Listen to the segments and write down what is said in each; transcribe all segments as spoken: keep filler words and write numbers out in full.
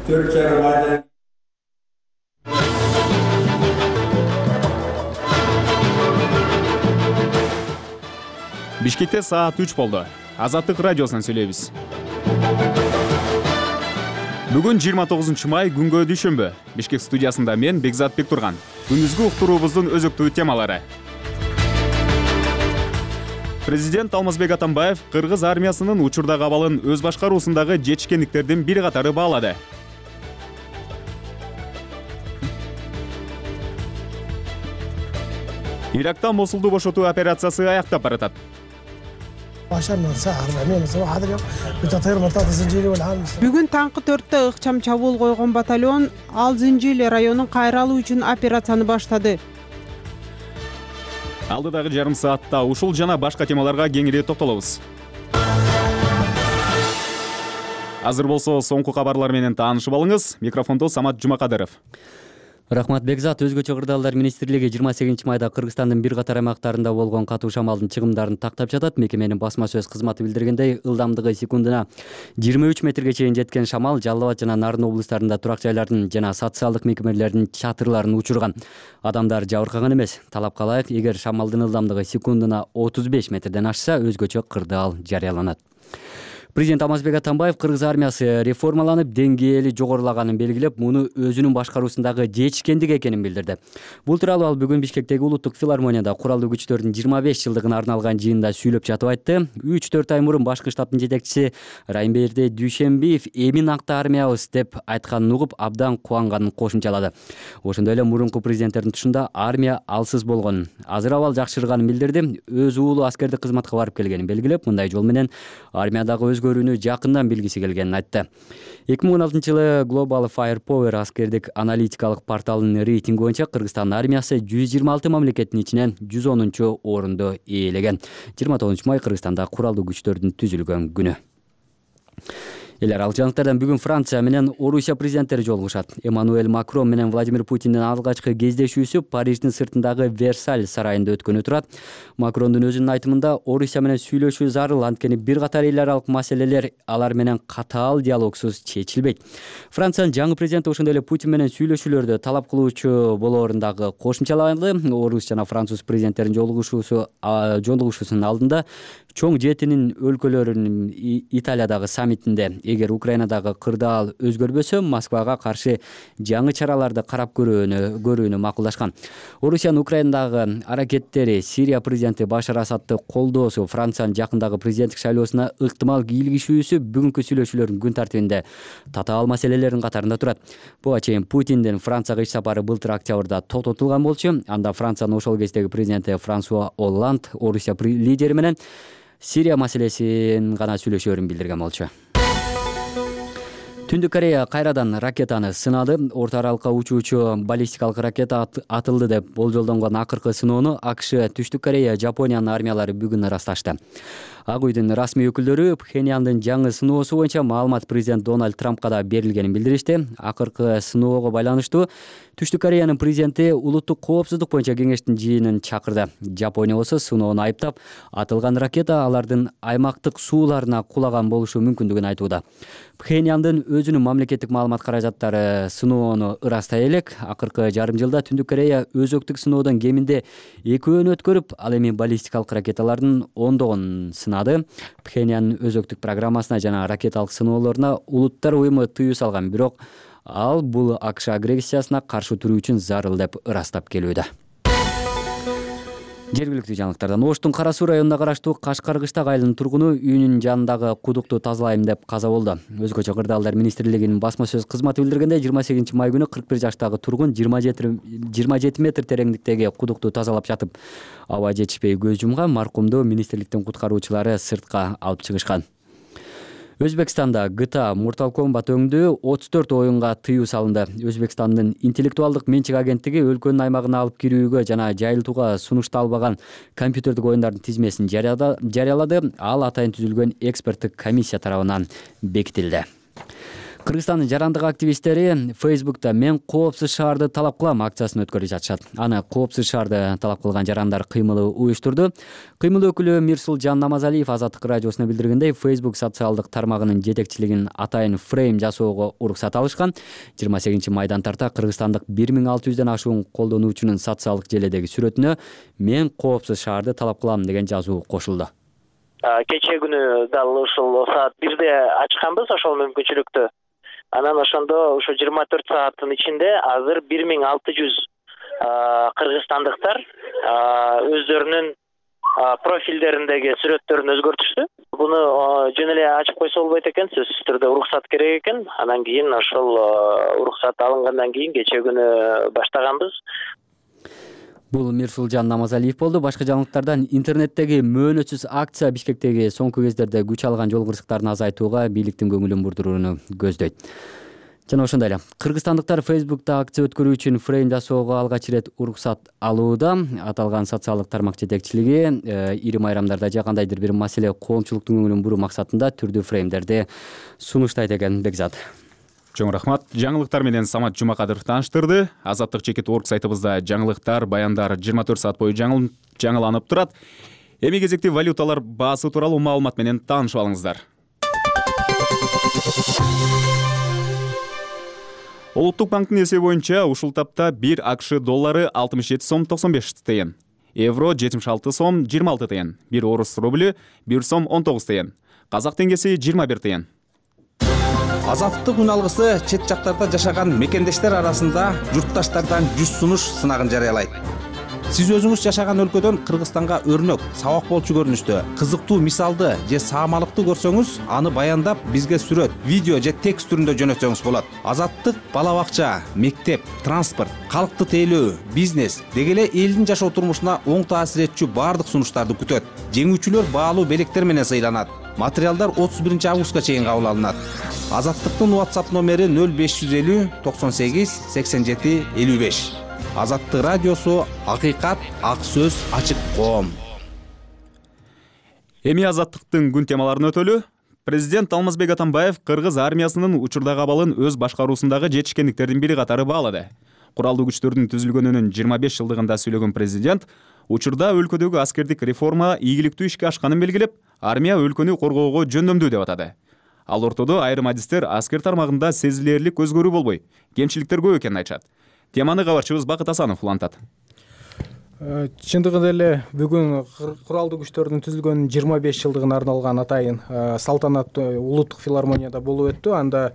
төрт жарым айдан Бишкекте саат үч болду. Азаттык радиосунан сүйлөйбүз. Бүгүн жыйырма тогузунчу май, күнгө дүйшөмбү. Бишкек студиясында мен Бекзат Бектурган. Күндүзгү уктуруубуздун өзөктүү темалары. Президент Алмазбек Атамбаев кыргыз армиясынын учурдагы абалын өз башкаруусундагы жетишкендиктердин бир катары баалады. Иракта Мосулду бошотуу операциясы аяктап баратат. Бүгүн таңкы төрттө ыкчам чабуул койгон батальон Алзынжил районун кайра алуу үчүн операцияны баштады. Алдыдагы жарым саатта ушул жана башка темаларга кеңири токтолобуз. Азыр болсо соңку кабарлар менен таанышып алыңыз. Микрофондо Самат Жумакадыров. Рахмат Бекзат. Өзгөчө кырдаалдар министрлиги жыйырма сегизинчи майда Кыргызстандын бир катар аймактарында болгон катуу шамалдын чыгымдарын тактап жатат. Мекеменин басма сөз кызматы билдиргендей, ылдамдыгы секундуна жыйырма үч метрге чейин жеткен шамал Жалал Абад жана Нарын облустарында турак жайлардын жана социалдык мекемелердин чатырларын учурган. Адамдар жабыркаган эмес. Талапка ылайык, эгер шамалдын ылдамдыгы секундуна отуз беш метрден ашса, өзгөчө кырдаал жарыяланат. Президент Алмазбек Атамбаев кыргыз армиясы реформаланып, деңгээли жогорулаганын белгилеп, муну өзүнүн башкаруусундагы жетишкендик экенин билдирди. Бул тууралуу ал бүгүн Бишкектеги Улуттук филармонияда куралдуу күчтөрдүн жыйырма беш жылдыгына арналган жыйында сүйлөп жатып айтты. үч төрт ай мурун башкы штабтын жетекчиси Райымберди Дүйшембиев эмин акта армиябыз деп айтканын угуп, абдан кубанганын кошумчалады. Ошондой эле мурунку президенттердин тушунда армия алсыз болгонун, азыр абал жакшырганын билдирди. Өз уулу аскердик кызматка барып келгенин белгилеп, мындай жол менен армиядагы өз көрүүнү жакындан билгиси келгенин айтты. эки миң он алтынчы жылы Global Firepower аскердик аналитикалык порталынын рейтинги боюнча Кыргызстан армиясы жүз жыйырма алты мамлекеттин ичинен жүз онунчу орунду ээлеген. жыйырма тогузунчу май Кыргызстанда куралдуу күчтөрдүн түзүлгөн күнү. Элер ал жаңылыктардан бүгүн Франция менен Орусия президенттери жолугушат. Эммануэль Макрон менен Владимир Путиндин алгачкы кездешүүсү Париждин сыртындагы Версаль сарайында өткөнү турат. Макрондун өзүнүн айтымында Орусия менен сүйлөшүү зарыл, анткени бир катар эл аралык маселелер алар менен катаал диалогсуз чечилбейт. Франциянын жаңы президенти ошондой эле Путин менен сүйлөшүүлөрдү талап кылуучу болоорун дагы кошумчалады. Орус жана француз президенттеринин жолугушуусу жолугушуусунун алдында чоң жетинин өлкөлөрүнүн Италиядагы саммитинде эгер Украинадагы кырдаал өзгөрбөсө, Москвага каршы жаңы чараларды карап көрүүнү көрүүнү макулдашкан. Орусиянын Украинадагы аракеттери, Сирия президенти Башар Асадты колдоосу, Франциянын жакындагы президенттик шайлоосуна ыктымал кийлигишүүсү бүгүнкү сүйлөшүүлөрдүн күн тартибинде татаал маселелердин катарында турат. Буга чейин Путиндин Францияга иш сапары былтыр октябрда токтотулган болчу. Анда Франциянын ошол кездеги президенти Франсуа Олланд Орусия лидери менен Сирия маселесин гана сүйлөшөөрүн билдирген болчу. Түндүк Корея кайрадан ракетаны сынады. Орто аралыкка учуучу баллистикалык ракета атылды деп болжолдонгон акыркы сыноону АКШ, Түштүк Корея, Жапониянын армиялары бүгүн ырасташты. Ак үйдүн расмий өкүлдөрү Пхеньяндын жаңы сыноосу боюнча маалымат президент Дональд Трампка да берилгенин билдиришти. Акыркы сыноого байланыштуу Түштүк Кореянын президенти улуттук коопсуздук боюнча кеңештин жыйынын чакырды. Жапония болсо сыноону айыптап, атылган ракета алардын аймактык сууларына кулаган болушу мүмкүндүгүн айтууда. Пхеньяндын өзүнүн мамлекеттик маалымат каражаттары сыноону ырастай элек. Акыркы жарым жылда Түндүк Корея өзөктүк сыноодон кеминде экөөнү өткөрүп, ал эми баллистикалык ракеталардын ондогон сынады. Пхеньяндын өзөктүк программасына жана ракеталык сыноолоруна улуттар уюму тыюу салган, бирок ал бул АКШ агрессиясына каршы туруу үчүн зарыл деп ырастап келүүдө. Жергиликтүү жаңылыктардан Оштун Кара Суу районуна караштуу Кашкаркыштак айылынын тургуну үйүнүн жанындагы кудукту тазалайм деп каза болду. Өзгөчө кырдаалдар министрлигинин басма сөз кызматы билдиргенде, жыйырма сегизинчи май күнү кырк бир жаштагы тургун жыйырма жети метр тереңдиктеги кудукту тазалап жатып, аба жетишпей көз жумган. Маркумду министрликтин куткаруучулары сыртка алып чыгышкан. Өзбекстанда Джи Ти Эй Mortal Kombat өңдүү отуз төрт оюнга тыюу салынды. Өзбекстандын интеллектуалдык менчик агенттиги өлкөнүн аймагына алып кирүүгө жана жайылтууга сунушталбаган компьютердик оюндардын тизмесин жарыялады. Ал атайын түзүлгөн эксперттик комиссия тарабынан бекитилди. Кыргызстандын жарандык активисттери Facebook'та "Мен коопсуз шаарды талап кылам" акциясын өткөрүп жатышат. Аны коопсуз шаарды талап кылган жарандар кыймылы уюштурду. Кыймыл өкүлү Мирсулжан Намазалиев Азаттык радиосуна билдиргендей, Facebook социалдык тармагынын жетекчилигин атайын фрейм жасоого уруксат алышкан. жыйырма сегизинчи майдан тарта кыргызстандык бир миң алты жүздөн ашуун колдонуучунун социалдык желедеги сүрөтүнө "Мен коопсуз шаарды талап кылам" деген жазуу кошулду. Кечээ күнү дал ушул саат бирде ачканбыз ошол мүмкүнчүлүктү. Анан ошондо ушу жыйырма төрт сааттын ичинде азыр бир миң алты жүз кыргызстандыктар өздөрүнүн профилдериндеги сүрөттөрүн өзгөртүштү. Буну жөн эле ачып койсо болбойт экен, сөзсүз түрдө уруксат керек экен. Анан кийин ошол уруксат алынгандан кийин кечээ күнү баштаганбыз. Бул Мирсулжан Намазалиев болду. Башка жаңылыктардан интернеттеги мөөнөтсүз акция Бишкектеги соңку кездерде күч алган жол кырсыктарын азайтууга бийликтин көңүлүн бурдурууну көздөйт. Жана ошондой эле кыргызстандыктар Facebook'та акция өткөрүү үчүн фрейм жасоого алгач ирет уруксат алууда. Аталган социалдык тармак жетекчилиги ири майрамдарда же кандайдыр бир маселе коомчулуктун көңүлүн буруу максатында түрдүү фреймдерди сунуштайт экен. Бекзат. Чоң рахмат. Жаңылыктар менен Самат Жумакадыров тааныштырды. Азаттык чекит орг сайтыбызда жаңылыктар, баяндар жыйырма төрт саат бою жаңыланып турат. Эми кезекти валюталар баасы тууралуу маалымат менен таанышып алыңыздар. Улуттук банктын эсеби боюнча ушул тапта бир АКШ доллары алтымыш жети сом токсон беш тыйын, евро жетимиш алты сом жыйырма алты тыйын, бир орус рублю бир сом он тогуз тыйын, казак теңгеси жыйырма бир тыйын. Азаттык үн алгысы чет жактарда жашаган мекендештер арасында журтташтардан жүз сунуш сынагын жарыялайт. Сиз өзүңүз жашаган өлкөдөн Кыргызстанга өрнөк, сабак болчу көрүнүштө, кызыктуу мисалды же саамалыкты көрсөңүз, аны баяндап бизге сүрөт, видео же текст түрүндө жөнөтсөңүз болот. Азаттык бала бакча, мектеп, транспорт, калкты тейлөө, бизнес деги эле элдин жашоо турмушуна оң таасир этчү баардык сунуштарды күтөт. Жеңүүчүлөр баалуу белектер менен сыйланат. Материалдар отуз биринчи августка чейин кабыл алынат. Азаттыктын WhatsApp номери нөл беш жүз элүү токсон сегиз сексен жети элүү беш. Азаттык радиосу, акыйкат, ак сөз, ачык коом. Эми азаттыктын күн темаларын өтөлү. Президент Алмазбек Атамбаев кыргыз армиясынын учурдагы абалын өз башкаруусундагы жетишкендиктердин бири катары баалады. Куралдуу күчтөрдүн түзүлгөнүнүн жыйырма беш жылдыгында сүйлөгөн президент учурда өлкөдөгү аскердик реформа ийгиликтүү ишке ашканын белгилеп, армия өлкөнү коргоого жөндөмдүү деп атады. Ал ортодо айрым адистер аскер тармагында сезилерлик өзгөрүү болбой, кемчиликтер көп экенин айтышат. Теманы кабарчыбыз Бакыт Асанов улантат. Чындыгында эле бүгүн куралдуу күчтөрдүн түзүлгөнүнүн жыйырма беш жылдыгына арналган атайын салтанат улуттук филармонияда болуп өттү. Анда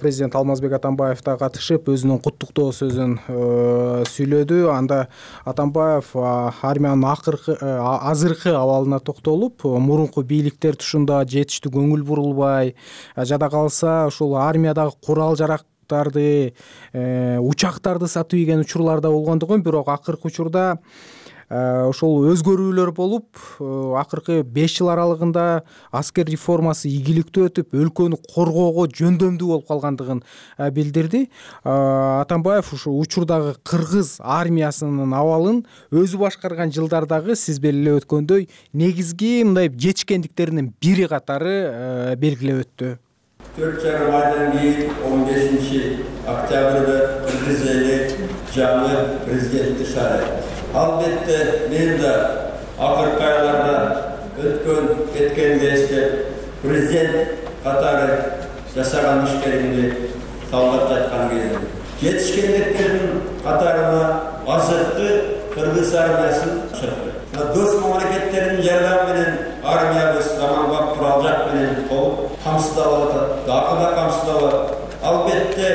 президент Алмазбек Атамбаев да катышып, өзүнүн куттуктоо сөзүн сүйлөдү. Анда Атамбаев армиянын акыркы азыркы абалына токтолуп, мурунку бийликтер тушунда жетиштүү көңүл бурулбай, жада калса ушул армиядагы курал жарак учактарды сатып ийген учурларда болгондугун, бирок акыркы учурда ошол өзгөрүүлөр болуп, акыркы беш жыл аралыгында аскер реформасы ийгиликтүү өтүп, өлкөнү коргоого жөндөмдүү болуп калгандыгын билдирди. Атамбаев ушул учурдагы кыргыз армиясынын абалын өзү башкарган жылдардагы сиз белгилеп өткөндөй негизги мындай жетишкендиктеринин бири катары белгилеп өттү. төрт жарым айдан кийин он бешинчи октябрда Кыргыз эли жаңы президентти шайлайт. Албетте мен да акыркы айларда өткөн кеткенди эстеп, президент катары жашаган иштеримди талдап жаткан кезде жетишкендиктердин катарына азыркы Кыргыз армиясын чыкты. Дос мамлекеттердин жардамы менен армиябыз заманбап курал-жабдык менен толук камсыздалып атат, дагы да камсыздалат. Албетте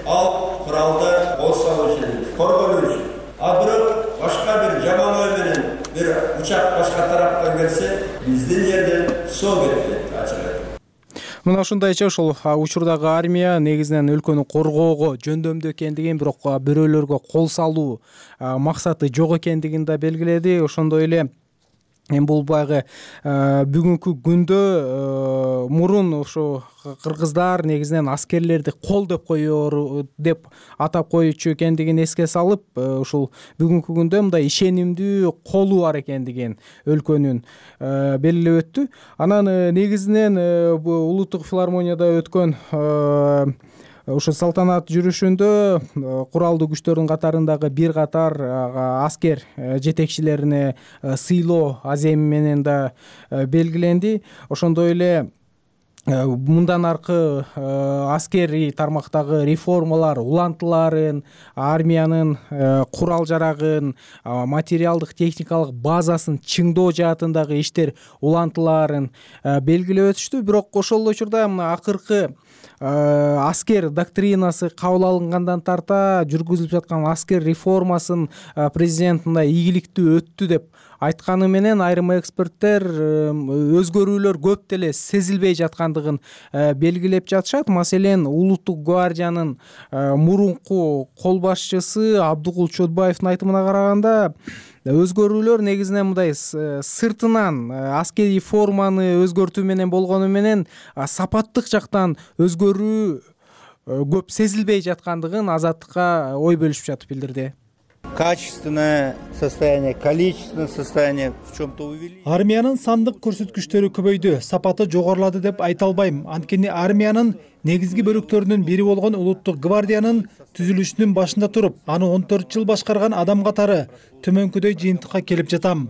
ал куралды кол салуу үчүн, коргонуу үчүн. А бирок башка бир жаман ой менен бир учак башка тараптан келсе, биздин жерден соо кетет, ачык айтып. Мына ушундайча ушул учурдагы армия негизинен өлкөнү коргоого жөндөмдүү экендигин, бирок бирөөлөргө кол салуу максаты жок экендигин да белгиледи. Ошондой эле эми бул баягы бүгүнкү күндө мурун ошо кыргыздар негизинен аскерлерди кол деп коёр деп атап коючу экендигин эске салып, ушул бүгүнкү күндө мындай ишенимдүү колу бар экендигин өлкөнүн белгилеп өттү. Анан негизинен улуттук филармонияда өткөн ошо салтанат жүрүшүндө куралдуу күчтөрдүн катарындагы бир катар аскер жетекчилерине сыйлоо аземи менен да белгиленди. Ошондой эле мындан аркы аскерий тармактагы реформалар улантыларын, армиянын курал жарагын, материалдык техникалык базасын чыңдоо жаатындагы иштер улантыларын белгилеп өтүштү. Бирок ошол эле учурда акыркы аскер доктринасы кабыл алынгандан тарта жүргүзүлүп жаткан аскер реформасын президент мындай ийгиликтүү өттү деп айтканы менен айрым эксперттер өзгөрүүлөр көп деле сезилбей жаткандыгын белгилеп жатышат. Маселен, улуттук гвардиянын мурунку кол башчысы Абдыгул Чотбаевдин айтымына караганда, өзгөрүүлөр негизинен мындай сыртынан аскерий форманы өзгөртүү менен болгону менен сапаттык жактан өзгөрүү көп сезилбей жаткандыгын Азаттыкка ой бөлүшүп жатып билдирди. Качественное состояние, количественное состояние в чем-то увеличилось. Армиянын сандык көрсөткүчтөрү көбөйдү, сапаты жогорулады деп айта албайм. Анткени армиянын негизги бөлүктөрүнүн бири болгон улуттук гвардиянын түзүлүшүнүн башында туруп, аны он төрт жыл башкарган адам катары төмөнкүдөй жыйынтыкка келип жатам.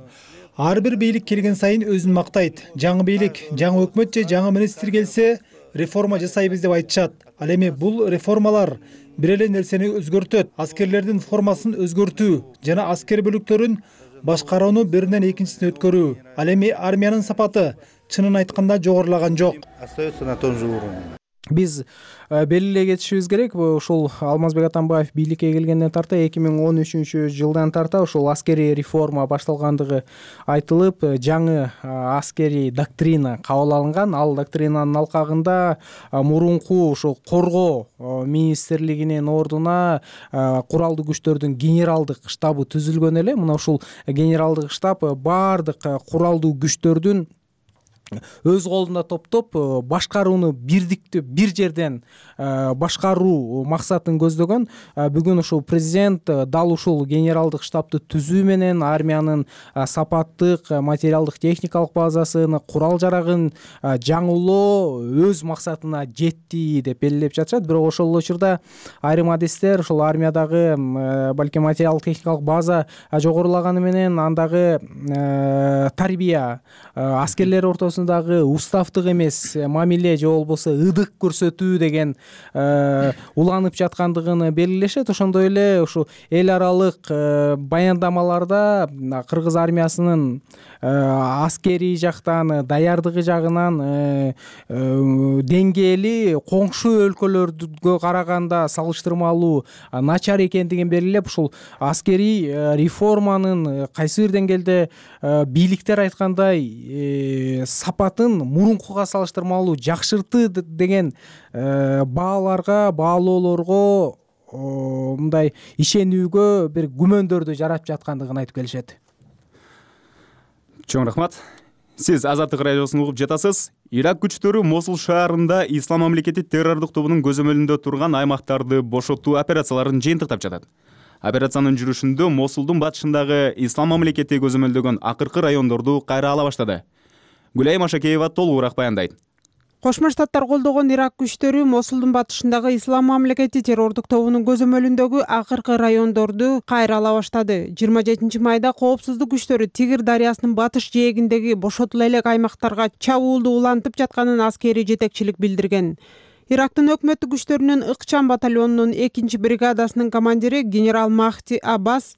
Ар бир бийлик келген сайын өзүн мактайт. Жаңы бийлик, жаңы өкмөт же жаңы министр келсе, реформа жасайбыз деп айтышат. Ал эми бул реформалар бир эле нерсени өзгөртөт. Аскерлердин формасын өзгөртүү жана аскер бөлүктөрүн башкарууну биринен экинчисине өткөрүү. Ал эми армиянын сапаты чынын айтканда жогорулаган жок. Остается на том же уровне. Биз белгилей кетишибиз керек, ушул Алмазбек Атамбаев бийликке келгенден тарта эки миң он үчүнчү жылдан тарта ушул аскерий реформа башталгандыгы айтылып, жаңы аскерий доктрина кабыл алынган. Ал доктринанын алкагында мурунку ушул коргоо министрлигинин ордуна куралдуу күчтөрдүн генералдык штабы түзүлгөн эле. Мына ушул генералдык штаб баардык куралдуу күчтөрдүн өз колунда топтоп башкарууну бирдиктүү бир жерден башкаруу максатын көздөгөн. Бүгүн ушул президент дал ушул генералдык штабты түзүү менен армиянын сапаттык материалдык техникалык базасын, курал жарагын жаңылоо өз максатына жетти деп белгилеп жатышат. Бирок ошол эле учурда айрым адистер ушул армиядагы балким материалдык техникалык база жогорулаганы менен андагы тарбия аскерлер ортосунда дагы уставдык эмес мамиле же болбосо ыдык көрсөтүү деген уланып жаткандыгын белгилешет. Ошондой эле ушу эл аралык баяндамаларда кыргыз армиясынын аскерий жактан, даярдыгы жагынан деңгээли коңшу өлкөлөргө караганда салыштырмалуу начар экендигин белгилеп, ушул аскерий реформанын кайсы бир деңгээлде бийликтер айткандай сапатын мурункуга салыштырмалуу жакшыртты деген бааларга, баалоолорго мындай ишенүүгө бир күмөндөрдү жаратып жаткандыгын айтып келишет. Чоң рахмат. Сиз Азаттык радиосун угуп жатасыз. Ирак күчтөрү Мосул шаарында Ислам мамлекети террордук тобунун көзөмөлүндө турган аймактарды бошотуу операцияларын жыйынтыктап жатат. Операциянын жүрүшүндө Мосулдун батышындагы Ислам мамлекети көзөмөлдөгөн акыркы райондорду кайра ала баштады. Гүлай Машакеева толугураак баяндайт. Кошмо Штаттар колдогон Ирак күчтөрү Мосулдун батышындагы Ислам мамлекети террордук тобунун көзөмөлүндөгү акыркы райондорду кайра ала баштады. жыйырма жетинчи майда коопсуздук күчтөрү Тигр дарыясынын батыш жээгиндеги бошотула элек аймактарга чабуулду улантып жатканын аскерий жетекчилик билдирген. Ирактын өкмөттүк күчтөрүнүн ыкчам батальонунун экинчи бригадасынын командири генерал Махти Аббас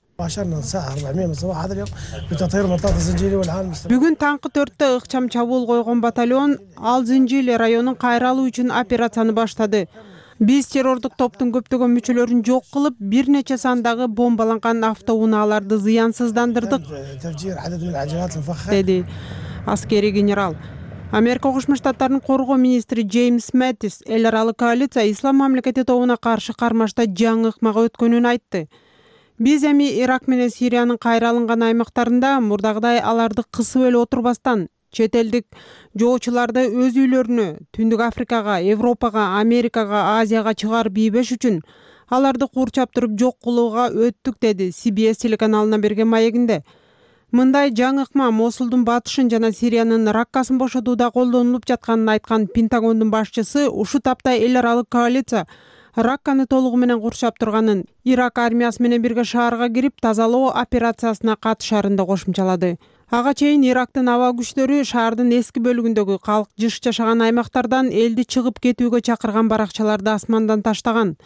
бүгүн таңкы төрттө ыкчам чабуул койгон батальон Ал Зинжили районун кайра алуу үчүн операцияны баштады. Биз террордук топтун көптөгөн мүчөлөрүн жок кылып, бир нече сандагы бомбаланган автоунааларды зыянсыздандырдык, деди аскерий генерал. Америка Кошмо Штаттарынын коргоо министри Джеймс Мэттис эл аралык коалиция Ислам мамлекети тобуна каршы кармашта жаңы ыкмага өткөнүн айтты. Биз эми Ирак менен Сириянын кайра алынган аймактарында мурдагыдай аларды кысып эле отурбастан чет элдик жоочуларды өз үйлөрүнө, Түндүк Африкага, Европага, Америкага, Азияга чыгарып ийбеш үчүн аларды курчап туруп жок кылууга өттүк, деди Си Би Эс телеканалына берген маегинде. Мындай жаңы ыкма Мосулдун батышын жана Сириянын Раккасын бошотууда колдонулуп жатканын айткан Пентагондун башчысы ушу тапта эл аралык коалиция Ракканы толугу менен курчап турганын, Ирак армиясы менен бирге шаарга кирип тазалоо операциясына катышарын да кошумчалады. Ага чейин Ирактын аба күчтөрү шаардын эски бөлүгүндөгү калк жыш жашаган аймактардан элди чыгып кетүүгө чакырган баракчаларды асмандан таштаган.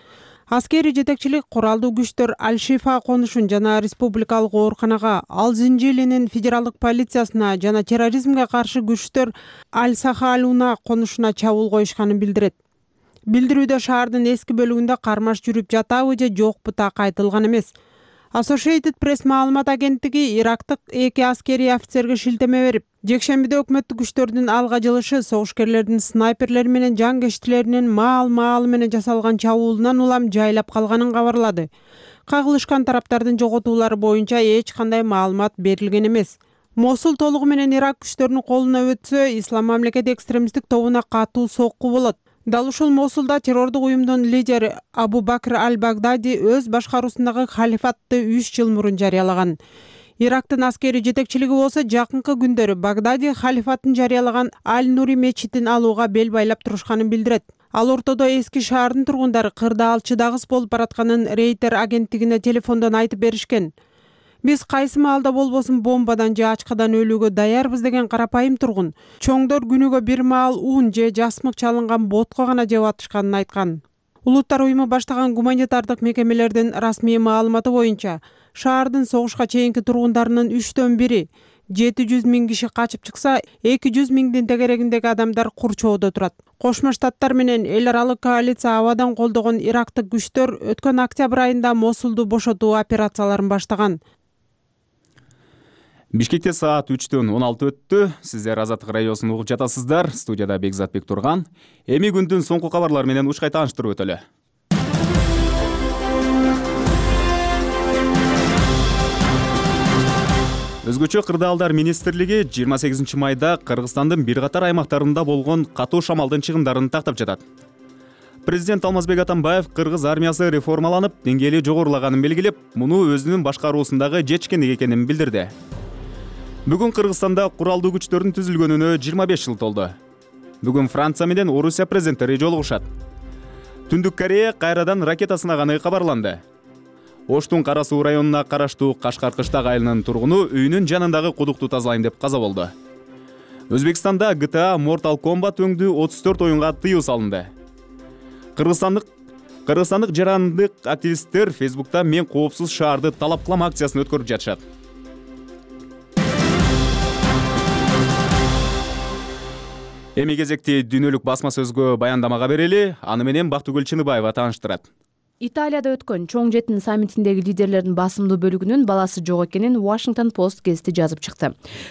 Аскерий жетекчилик куралдуу күчтөр Аль-Шифа конушун жана республикалык ооруканага, Ал Зинжилинин федералдык полициясына жана терроризмге каршы күчтөр Аль-Сахалуна конушуна чабуул коюшканын билдирет. Билдирүүдө шаардын эски бөлүгүндө кармаш жүрүп жатабы же жокпу так айтылган эмес. Associated Press маалымат агенттиги ирактык эки аскерий офицерге шилтеме берип, жекшембиде өкмөттүк күчтөрдүн алга жылышы согушкерлердин снайперлер менен жангечтилеринин маал-маалы менен жасалган чабуулунан улам жайлап калганын кабарлады. Кагылышкан тараптардын жоготуулары боюнча эч кандай маалымат берилген эмес. Мосул толугу менен Ирак күчтөрүнүн колуна өтсө, Ислам мамлекети экстремисттик тобуна катуу сокку болот. Дал ушул Мосулда террордук уюмдун лидери Абу Бакр Аль-Багдади өз башкаруусундагы халифатты үч жыл мурун жарыялаган. Ирактын аскерий жетекчилиги болсо жакынкы күндөрү Багдади халифатын жарыялаган Аль-Нури мечитин алууга бел байлап турушканын билдирет. Ал ортодо эски шаардын тургундары кырда алчыдагыс болуп баратканын Рейтер агенттигине телефондон айтып беришкен. Биз кайсы маалда болбосун бомбадан же ачкадан өлүүгө даярбыз деген карапайым тургун. Чоңдор күнүгө бир маал ун же жасмык чалынган ботко гана жеп атышканын айткан. Улуттар уюму баштаган гуманитардык мекемелердин расмий маалыматы боюнча, шаардын согушка чейинки тургундарынын үчтөн бири, жети жүз миң киши качып чыкса, эки жүз миңдин тегерегиндеги адамдар курчоодо турат. Кошмо Штаттар менен эл аралык коалиция абадан колдогон ирактык күчтөр өткөн октябрь айында Мосулду бошотуу операцияларын баштаган. Бишкекте саат үчтөн он алты өттү. Сиздер Азаттык радиосун угуп жатасыздар. Студияда Бекзатбек Турган. Эми күндүн соңку кабарлары менен ушкай тааныштырып өтөлү. Өзгөчө кырдаалдар министрлиги жыйырма сегизинчи майда Кыргызстандын бир катар аймактарында болгон катуу шамалдын чыгымдарын тактап жатат. Президент Алмазбек Атамбаев кыргыз армиясы реформаланып, деңгээли жогорулаганын белгилеп, муну өзүнүн башкаруусундагы жетишкендик экенин билдирди. Бүгүн Кыргызстанда куралдуу күчтөрдүн түзүлгөнүнө жыйырма беш жыл толду. Бүгүн Франция менен Орусия президенттери жолугушат. Түндүк Корея кайрадан ракета сынаганы кабарланды. Оштун Кара Суу районуна караштуу Кашкар кыштак айылынын тургуну үйүнүн жанындагы кудукту тазалайм деп каза болду. Өзбекстанда Джи Ти Эй Mortal Kombat өңдүү отуз төрт оюнга тыюу салынды. Кыргызстандык Кыргызстандык жарандык активисттер Фейсбукта "Мен коопсуз шаарды талап кылам" акциясын өткөрүп жатышат. Эми кезекти дүйнөлүк басма сөзгө баяндамага берели, аны менен Бактыгүл Чыныбаева тааныштырат. Италияда өткөн чоң жетин саммитиндеги лидерлердин басымдуу бөлүгүнүн баласы жок экенин Washington Post гезити жазып чыкты.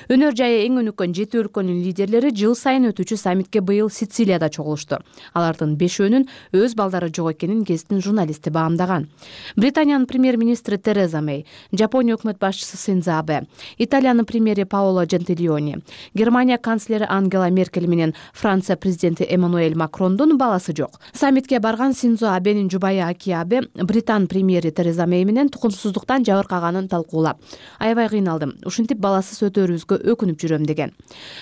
Өнөр жайы эң өнүккөн жети өлкөнүн лидерлери жыл сайын өтүүчү саммитке быйыл Сицилияда чогулушту. Алардын бешөөнүн өз балдары жок экенин гезиттин журналисти баамдаган. Британиянын премьер-министри Тереза Мэй, Жапония өкмөт башчысы Синдзо Абе, Италиянын премьери Паоло Джентилиони, Германия канцлери Ангела Меркель менен Франция президенти Эммануэль Макрондун баласы жок. Саммитке барган Синдзо Абенин жубайы Акия Британ премьери Тереза Мэй менен тукумсуздуктан жабыркаганын талкуулап, аябай кыйналдым, ушинтип баласыз өтөрүбүзгө өкүнүп жүрөм деген.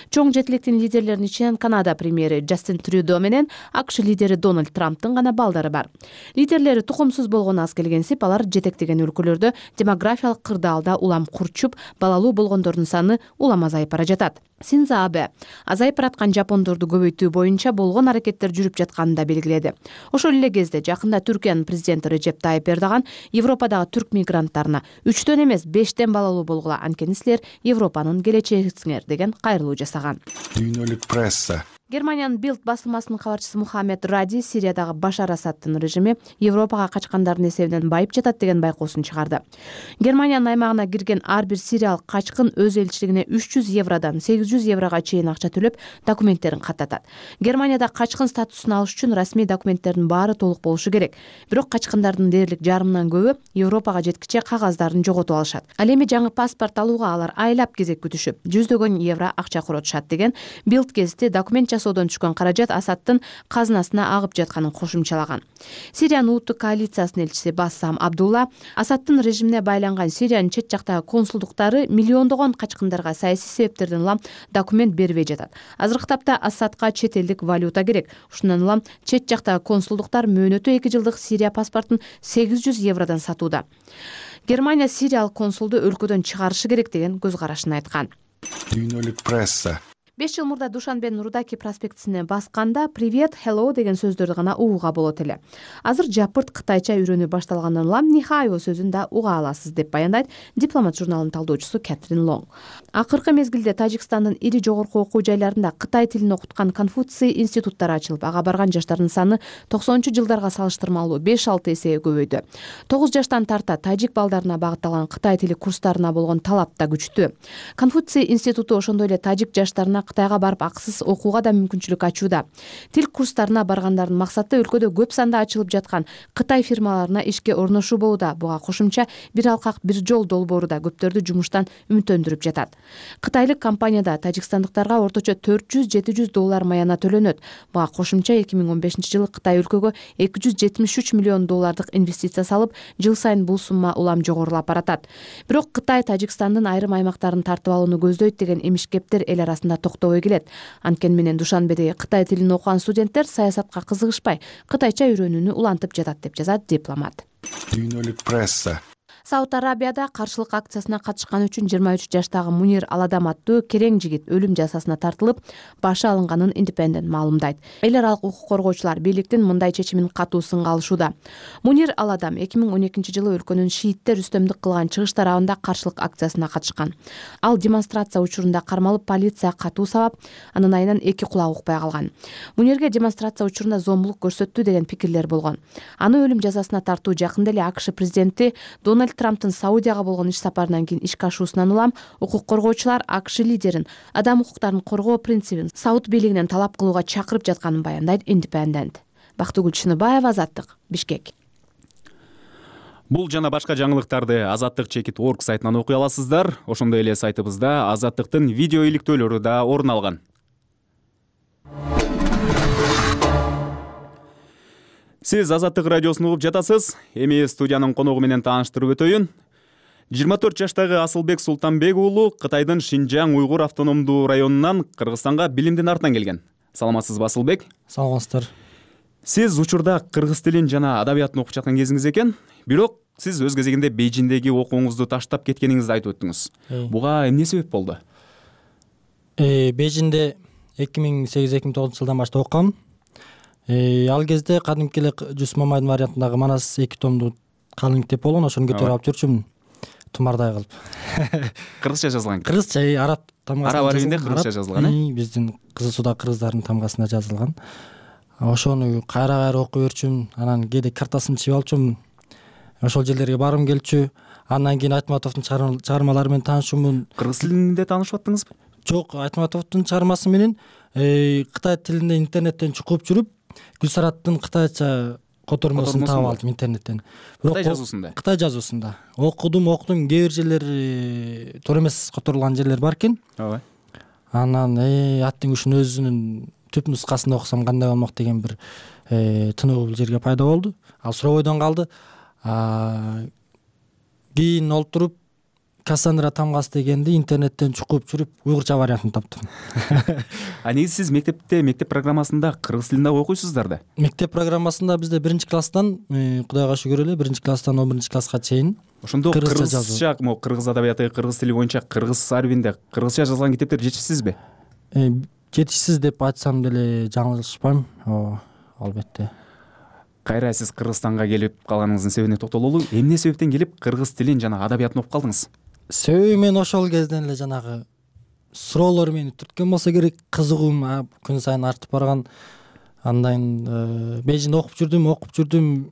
Чоң жетиликтин лидерлеринин ичинен Канада премьери Джастин Трюдо менен АКШ лидери Дональд Трамптын гана балдары бар. Лидерлери тукумсуз болгону аз келгенсип, алар жетектеген өлкөлөрдө демографиялык кырдаалда улам курчуп, балалуу болгондордун саны улам азайып бара жатат. Синдзо Абе азайып бараткан жапондорду көбөйтүү боюнча болгон аракеттер жүрүп жатканын да белгиледи. Ошол эле кезде жакында Түркиянын президенти Режеп Тайип Эрдоган Европадагы түрк мигранттарына үчтөн эмес бештен балалуу болгула, анткени силер Европанын келечегисиңер деген кайрылуу жасаган. Дүйнөлүк пресса. Германиянын Bild басылмасынын кабарчысы Мухаммед Ради Сириядагы Башар Асадтын режими Европага качкандардын эсебинен байып жатат деген байкоосун чыгарды. Германиянын аймагына кирген ар бир сириялык качкын өз элчилигине үч жүз евродон сегиз жүз еврого чейин акча төлөп документтерин каттатат. Германияда качкын статусун алыш үчүн расмий документтердин баары толук болушу керек. Бирок качкындардын дээрлик жарымынан көбү Европага жеткиче кагаздарын жоготуп алышат. Ал эми жаңы паспорт алууга алар айлап кезек күтүшүп, жүздөгөн евро акча коротушат деген Bild гезити документ жасоодон түшкөн каражат Асадтын казынасына агып жатканын кошумчалаган. Сириянын улуттук коалициясынын элчиси Бассам Абдулла Асадтын режимине байланган Сириянын чет жактагы консулдуктары миллиондогон качкындарга саясий себептерден улам документ бербей жатат. Азыркы тапта Асадка чет элдик валюта керек. Ушундан улам чет жактагы консулдуктар мөөнөтү эки жылдык Сирия паспортун сегиз жүз евродон сатууда. Германия сириялык консулду өлкөдөн чыгарышы керек деген көз карашын айткан. Дүйнөлүк пресса беш жыл мурда Душанбенин Рудаки проспектисине басканда «Привет, hello» деген сөздөрдү гана угууга болот эле. Азыр жапырт кытайча үйрөнүү башталгандан улам «Нихайо» сөзүн да уга аласыз деп баяндайт Дипломат журналынын талдоочусу Кэтрин Лонг. Акыркы мезгилде Тажикстандын ири жогорку окуу жайларында Кытай тилин окуткан Конфуций институттары ачылып, ага барган жаштардын саны токсонунчу жылдарга салыштырмалуу беш алты эсеге көбөйдү. тогуз жаштан тарта тажик балдарына багытталган Кытай тили курстарына болгон талап да күчтүү. Конфуций институту ошондой эле тажик жаштарына Кытайга барып акысыз окууга да мүмкүнчүлүк ачууда. Тил курстарына баргандардын максаты өлкөдө көп санда ачылып жаткан Кытай фирмаларына ишке орношуу болууда. Буга кошумча бир алкак бир жол долбоору да көптөрдү жумуштан үмүттөндүрүп жатат. Кытайлык компанияда тажикстандыктарга орточо төрт жүз жети жүз доллар маяна төлөнөт. Буга кошумча эки миң он бешинчи жылы Кытай өлкөгө эки жүз жетимиш үч миллион доллардык инвестиция салып, жыл сайын бул сумма улам жогорулап баратат. Бирок Кытай Тажикстандын айрым аймактарын тартып алууну көздөйт деген эмишкептер эл арасында токтобой келет. Анткени менен Душанбедеги Кытай тилин окуган студенттер саясатка кызыгышпай, кытайча үйрөнүүнү улантып жатат деп жазат Дипломат. Дүйнөлүк пресса Сауд Арабияда каршылык акциясына катышкан үчүн жыйырма үч жаштагы Мунир Аладам аттуу керең жигит өлүм жазасына тартылып, башы алынганын Independent маалымдайт. Эл аралык укук коргоочулар бийликтин мындай чечимин катуу сынга алышууда. Мунир Аладам эки миң он экинчи жылы өлкөнүн шииттер үстөмдүк кылган чыгыш тарабында каршылык акциясына катышкан. Ал демонстрация учурунда кармалып, полиция катуу сабап, анын айынан эки кулак укпай калган. Мунирге демонстрация учурунда зомбулук көрсөттү деген пикирлер болгон. Аны өлүм жазасына тартуу жакында эле АКШ президенти Дональд Трамптын Саудияга болгон иш сапарынан кийин ишке ашуусунан улам укук коргоочулар АКШ лидерин адам укуктарын коргоо принцибин Сауд бийлигинен талап кылууга чакырып жатканын баяндайт Independent. Бактыгүл Чыныбаева, Азаттык, Бишкек. Бул жана башка жаңылыктарды азаттык чекит точка орг сайтынан окуй аласыздар. Ошондой эле сайтыбызда Азаттыктын видео иликтөөлөрү да орун алган. Сиз Азаттык радиосун угуп жатасыз. Эми студиянын коногу менен тааныштырып өтөйүн. жыйырма төрт жаштагы Асылбек Султанбек уулу Кытайдын Шинжаң уйгур автономдуу районунан Кыргызстанга билимдин артынан келген. Саламатсызбы, Асылбек? Саламатсыздар. Сиз учурда кыргыз тилин жана адабиятын окуп жаткан кезиңиз экен. Бирок сиз өз кезегинде Бейжиңдеги окууңузду таштап кеткениңизди айтып өттүңүз. Буга эмне себеп болду? Э, Бейжиңде эки миң сегиз эки миң тогузунчу жылдан баштап окугам. Ал кезде кадимки эле Жүсүп Мамайдын вариантындагы Манас эки томдуу калың мектеп болгон, ошону көтөрүп алып жүрчүмүн. Тумардай кылып. Кыргызча жазылган. Кыргызча, араб тамгасында. Араб арабинде кыргызча жазылган, э? Биздин Кызыл Суудагы кыргыздардын тамгасында жазылган. Ошону кайра-кайра окуп жүрчүмүн. Анан кээде картасын чыгып алчумун. Ошол жерлерге баргым келчү. Андан кийин Айтматовдун чыгармалары менен таанышуумун. Кыргыз тилинде таанышып аттыңызбы? Жок, Айтматовдун чыгармасы менен Кытай тилинде интернеттен чукуп жүрүп, Гүлсараттын кытайча котормосун таап алдым интернеттен. Кытай жазуусунда. Кытай жазуусунда. Окудум, окудум, кээ бир жерлери туура эмес которулган жерлер бар экен. Ооба. Анан аттын күшүн өзүнүн түп нускасын окусам кандай болмок деген бир тынуу бул жерге пайда болду. Ал суробойдон калды. Кийин олтуруп Кассандра тамгасы дегенди интернеттен чукуп жүрүп уйгурча вариантын таптым. А негизи сиз мектепте, мектеп программасында кыргыз тилинде окуйсуздар да? Мектеп программасында бизде биринчи класстан, Кудайга шүгүр эле, биринчи класстан он биринчи класска чейин ошондо кыргызча, могу кыргыз адабияты, кыргыз тили боюнча кыргыз арбинде кыргызча жазылган китептер жетишсизби? Жетишсиз деп айтсам деле жаңылышпайм. Албетте. Кайра сиз Кыргызстанга келип калганыңыздын себебине токтололу. Эмне себептен келип кыргыз тилин жана адабиятын окуп калдыңыз? Себеби мен ошол кезден эле жанагы суроолор мени түрткөн болсо керек, кызыгуум күн сайын артып барган. Андан Бейжиңде окуп жүрдүм, окуп жүрдүм.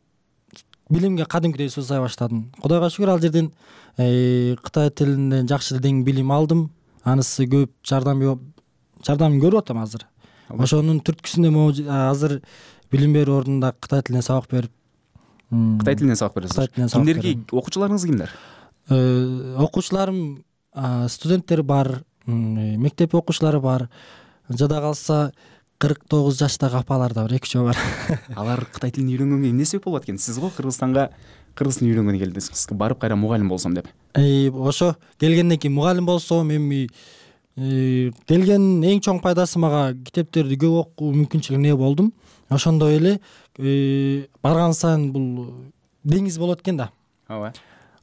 Билимге кадимкидей сусай баштадым. Кудайга шүгүр, ал жерден кытай тилинен жакшы дең билим алдым. Анысы көп жардам жардамын көрүп атам азыр. Ошонун түрткүсүндө азыр билим берүү ордунда кытай тилинен сабак берип. Кытай тилинен сабак бересиз. Кимдерги окуучуларыңыз кимдер? Окуучуларым студенттер бар, мектеп окуучулары бар. Жада калса кырк тогуз жаштагы апалар да бар, эки үчөө бар. Алар кытай тилин үйрөнгөнгө эмне себеп болот экен? Сиз го Кыргызстанга кыргыз тилин үйрөнгөнү келдиңиз, барып кайра мугалим болсом деп. Ошо келгенден кийин мугалим болсом, эми келген эң чоң пайдасы мага китептерди көп окуу мүмкүнчүлүгүнө ээ болдум. Ошондой эле барган сайын бул деңиз болот экен да. Ооба.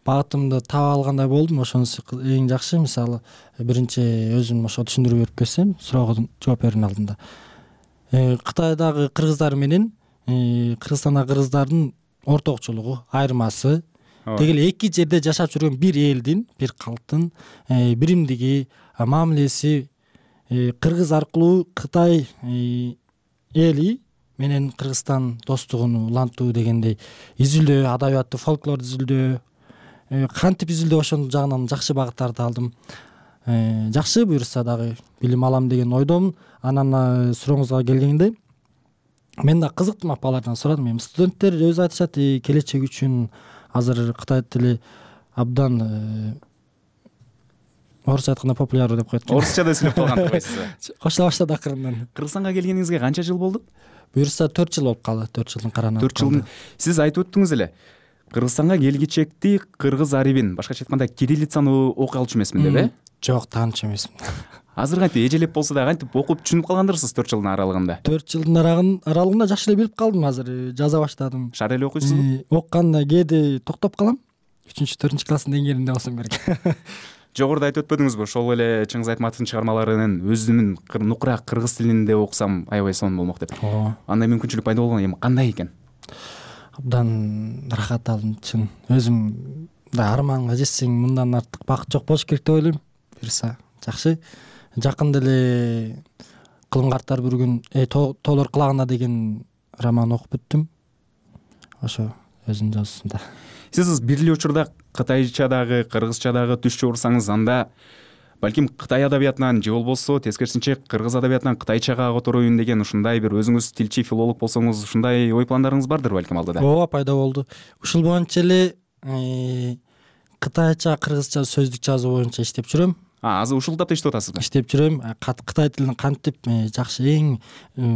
Багытымды таап алгандай болдум. Ошонусу эң жакшы. Мисалы, биринчи өзүм ошо түшүндүрүп берип келсем, суроого жооп берүүнүн алдында. Кытайдагы кыргыздар менен Кыргызстандагы кыргыздардын ортокчулугу, айырмасы, деги эле эки жерде жашап жүргөн бир элдин, бир калктын биримдиги, мамилеси, кыргыз аркылуу Кытай эли менен Кыргызстан достугун улантуу дегендей изилдөө, адабиятты, фольклор изилдөө, кантип изилдөө, ошонун жагынан жакшы багыттарды алдым. Жакшы, буюрса дагы билим алам деген ойдомун. Анан сурооңузга келгенде, мен да кызыктым, апалардан сурадым. Эми студенттер өзү айтышат, келечек үчүн азыр Кытай тили абдан орусча айтканда популярдуу деп коет. Орусча да сүйлөп калган койсуз. Кошула баштады акырындан. Кыргызстанга келгениңизге канча жыл болду? Буюрса төрт жыл болуп калды, төрт жылдын карана. төрт жылдын. Сиз айтып өттүңүз эле. Кыргызстанга келгичекти кыргыз арибин, башкача айтканда кириллицаны окуй алчу эмесмин деп, э? Жок, таанычу эмесмин. Азыр кантип эжелеп болсо да кантип окуп түшүнүп калгандырсыз төрт жылдын аралыгында? төрт жылдын аралыгында жакшы эле билип калдым, азыр жаза баштадым. Шар эле окуйсузбу? Окуганда кээде токтоп калам. үчүнчү, төртүнчү класстын деңгээлинде болсом керек. Жогоруда айтып өтпөдүңүзбү? Ошол эле Чыңгыз Айтматовдун чыгармаларынын өзүмүн нукураак кыргыз тилинде окусам аябай сонун болмок деп. Андай мүмкүнчүлүк пайда болгон, эми кандай экен? Абдан рахат алдым, чын. Өзүм да арманга жетсең мындан артык бакыт жок болуш керек деп ойлойм. Буюрса жакшы. Жакында эле Кылым карттар бир күн тоолор кылагында деген роман окуп бүттүм. Ошо өзүнүн жазуусунда. Сиз бир эле учурда кытайчадагы, кыргызчадагы түш чыгырсаңыз, анда балким Кытай адабиятынан же болбосо тескерисинче кыргыз адабиятынан кытайчага котороюн деген ушундай бир өзүңүз тилчи, филолог болсоңуз, ушундай ой пландарыңыз бардыр балким алдыда? Ооба, пайда болду. Ушул боюнча эле кытайча, кыргызча сөздүк жазуу боюнча иштеп жүрөм. А, азыр ушул тапта иштеп атасызбы? Иштеп жүрөм. Кытай тилин кантип жакшы, эң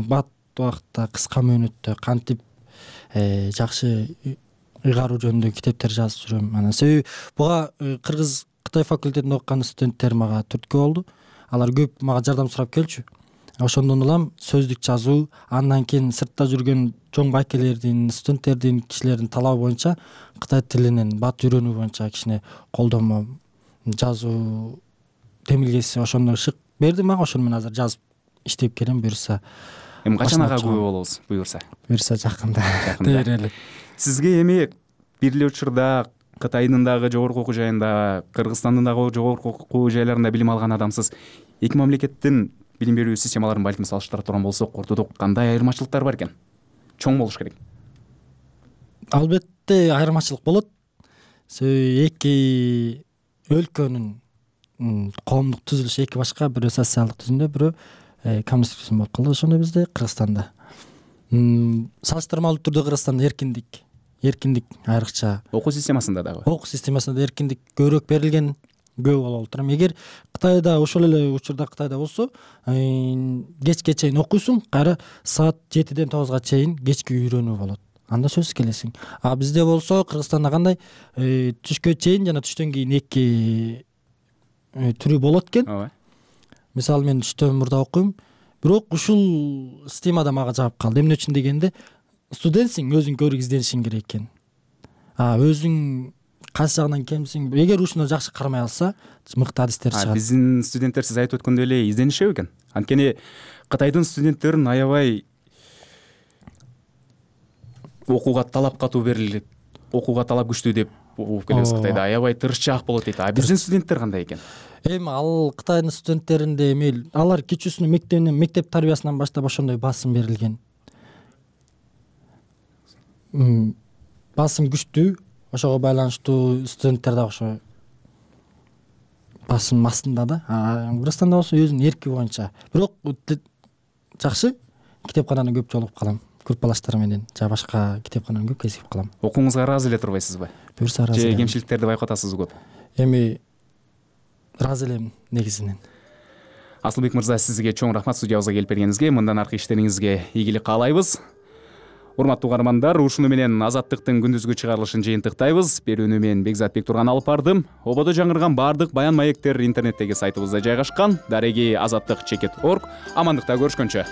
бат убакытта, кыска мөөнөттө кантип жакшы ыйгаруу жөнүндө китептер жазып жүрөм. Анан себеби буга кыргыз Кытай факультетинде окуган студенттер мага түрткү болду. Алар көп мага жардам сурап келчү. Ошондон улам сөздүк жазуу, андан кийин сыртта жүргөн чоң байкелердин, студенттердин, кишилердин талабы боюнча Кытай тилинен бат үйрөнүү боюнча кичине колдонмо жазуу темилгеси ошондо шык берди мага. Ошону мен азыр жазып иштеп келем. Буюрса эми качан ага күбө болобуз? Буюрса. Буюрса жакында. Жакында. Сизге эми бир эле учурда Кытайдын дагы жогорку окуу жайында, Кыргызстандын дагы жогорку окуу жайларында билим алган адамсыз. Эки мамлекеттин билим берүү системаларын балким салыштыра турган болсок, ортодо кандай айырмачылыктар бар экен? Чоң болуш керек. Албетте айырмачылык болот. Себеби эки өлкөнүн коомдук түзүлүшү эки башка, бирөө социалдык түзүмдө, бирөө коммунисттик түзүм болуп калды. Ошондо бизде Кыргызстанда салыштырмалуу түрдө Кыргызстанда эркиндик эркиндик айрыкча. Окуу системасында дагы. Окуу системасында эркиндик көбүрөөк берилген, көп болуп турам. Эгер Кытайда ошол эле учурда Кытайда болсо, кечке чейин окуйсуң, кайра саат жетиден тогузга чейин кечки үйрөнүү болот. Анда сөзсүз келесиң. А бизде болсо Кыргызстанда кандай түшкө чейин жана түштөн кийин эки түрү болот экен. Ооба. Мисалы мен түштөн мурда окуйм, бирок ушул системада мага жагып калды. Эмне үчүн дегенде, студентсиң, өзүң көрүп изденишиң керек экен. А өзүң кайсы жагынан кемсиң, эгер ушуну жакшы кармай алса, мыкты адистер чыгат. Биздин студенттер сиз айтып өткөндөй эле изденишеби экен? Анткени Кытайдын студенттерин аябай окууга талап катуу берилет, окууга талап күчтүү деп угуп келебиз. Кытайда аябай тырышчаак болот дейт. А биздин студенттер кандай экен? Эми ал Кытайдын студенттеринде эми алар кичүүсүнө мектебинен мектеп тарбиясынан баштап ошондой басым берилген. Басым күчтүү, ошого байланыштуу студенттер да ошо басым астында да. Кыргызстанда болсо өзүнүн эрки боюнча. Бирок жакшы китепкананы көп жолугуп калам. Группалаштар менен же башка китепкананы көп кезигип калам. Окууңузга ыраазы эле турбайсызбы? Буюрса ыраазы. Же кемчиликтерди байкотасызбы көп? Эми ыраазы элем негизинен. Асылбек мырза, сизге чоң рахмат студиябызга келип бергениңизге. Мындан аркы иштериңизге ийгилик каалайбыз. Урматтуу угармандар, ушуну менен Азаттыктын күндүзгү чыгарылышын жыйынтыктайбыз. Берүүнү мен Бекзат Бектурган алып бардым. Ободо жаңырган баардык баян маектер интернеттеги сайтыбызда жайгашкан. Дареги азаттык чекит точка орг. Амандыкта көрүшкөнчө.